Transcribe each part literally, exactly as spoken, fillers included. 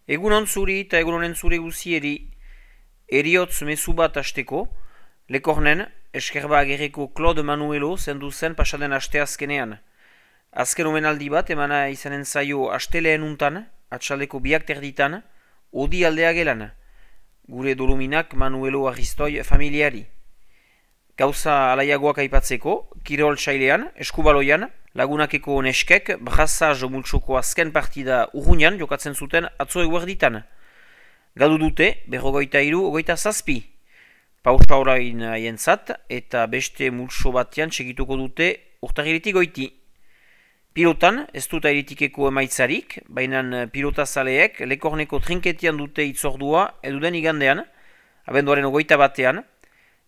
Egunon zuri eta egunonen zure guzieri, eriotz mezu bat asteko, Lekornen, eskerba agerreko Claude Manuelo zendu zen pasaden aste azkenean. Azken omenaldi bat emana izanen zaio asteleen untan, atxaldeko biak terditan, odi aldea gelan, gure doluminak Manuelo Aristoi familiari. Gauza alaiagoak aipatzeko, kirol sailean, eskubaloian, lagunakeko neskek, brazaz multsoko azken partida urruñan jokatzen zuten atzo eguerditan. Galdu dute, berrogoita iru, ogoita zazpi. Pausa orain haientzat eta beste multso batean segituko dute urtagiritik goiti. Pilotan, ez dut airetikeko emaitzarik, baina pilotazaleek Lekorneko trinketian dute itzordua eduden igandean, abenduaren ogoita batean,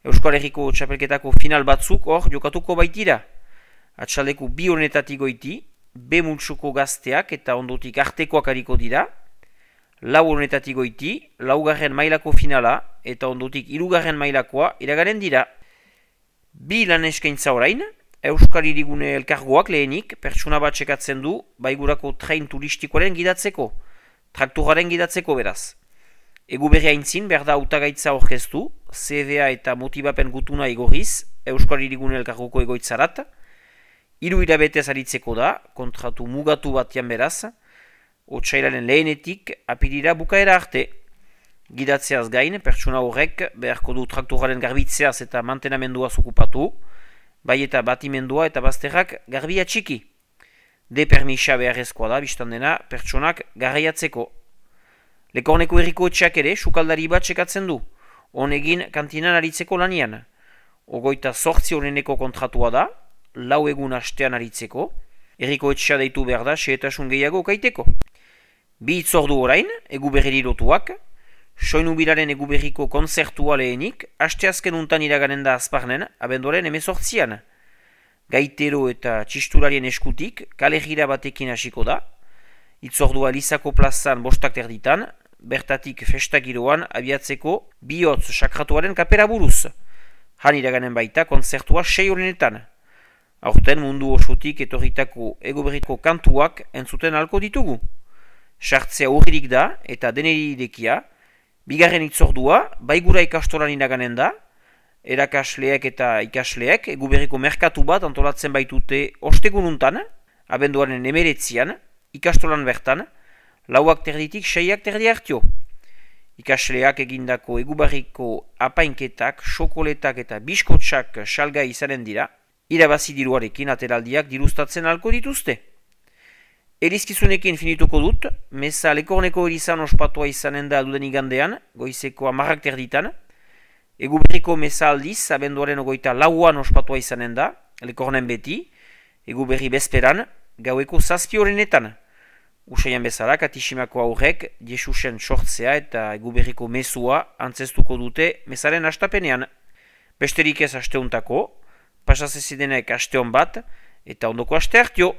Euskal Herriko txapelketako final batzuk hor jokatuko baitira. Atxaldeko bi honetatik goiti, B multsoko gazteak eta ondotik artekoak hariko dira, lau honetatik goiti, laugarren mailako finala eta ondotik hirugarren mailakoa iraganen dira. Bi lan eskaintza orain, Euskal Hirigune elkargoak lehenik pertsona bat txekatzen du baigurako train turistikoaren gidatzeko, traktoraren gidatzeko beraz. Egu berri haintzin behar da hautagaitza orkestu, C V A eta motibapen gutuna igorriz, Euskal Hirigune elkargoko egoitzarat, hiru hilabetez aritzeko da, kontratu mugatu batean beraz, otsailaren lehenetik apirira bukaera arte. Gidatzeaz gain, pertsona horrek beharko du traktoraren garbitzeaz eta mantenamendua okupatu, bai eta batimendua eta bazterrak garbia txiki. De permisa beharrezkoa da, biztan dena, pertsonak garraiatzeko. Lekorneko herriko etxeak ere, sukaldari bat txekatzen du, honegin kantinan aritzeko lanian. Ogoita sortzi honeneko kontratua da, lau egun astean aritzeko, herriko etxea deitu behar da, xehetasun gehiago kaiteko. Bi itzordu orain, egu berri lotuak, soinubiraren egu berriko konzertua lehenik, asteazken untan iraganen da azparnen, abenduaren emezortzian. Gaitero eta txistularien eskutik, kale gira batekin hasiko da, itzordua Elizako plazan bostak terditan, bertatik festagiroan abiatzeko bihotz sakratuaren kapera buruz. Han iraganen baita konzertua sei horrenetan. Aurten mundu osotik etorritako egoberriko kantuak entzuten halko ditugu. Sartzea urririk da eta deneri idekia, bigarren itzordua baigura ikastolan iraganen da, erakasleek eta ikasleek egoberriko merkatu bat antolatzen baitute ostegununtan, abenduaren emeretzian, ikastolan bertan, lauak terditik seiak terdi hartio. Ikasleak egindako egubarriko apainketak, xokoletak eta biskotsak salgai izanen dira, irabazi diruarekin ateraldiak dirustatzen halko dituzte. Erizkizunekin finituko dut, meza Lekorneko erizan ospatua izanen da duden igandean, goizeko amarrak terditan, eguberriko meza aldiz, abenduaren ogoita lauan ospatua izanen da, Lekornen beti, eguberri bezperan, gaueko zazpi horrenetan. Usaian bezala, Katishimako aurrek, Jesusen sortzea eta eguberriko mezua antzestuko dute mezaren astapenean. Besterik ez asteuntako, pasazezidenek asteon bat, eta ondoko aste hartio.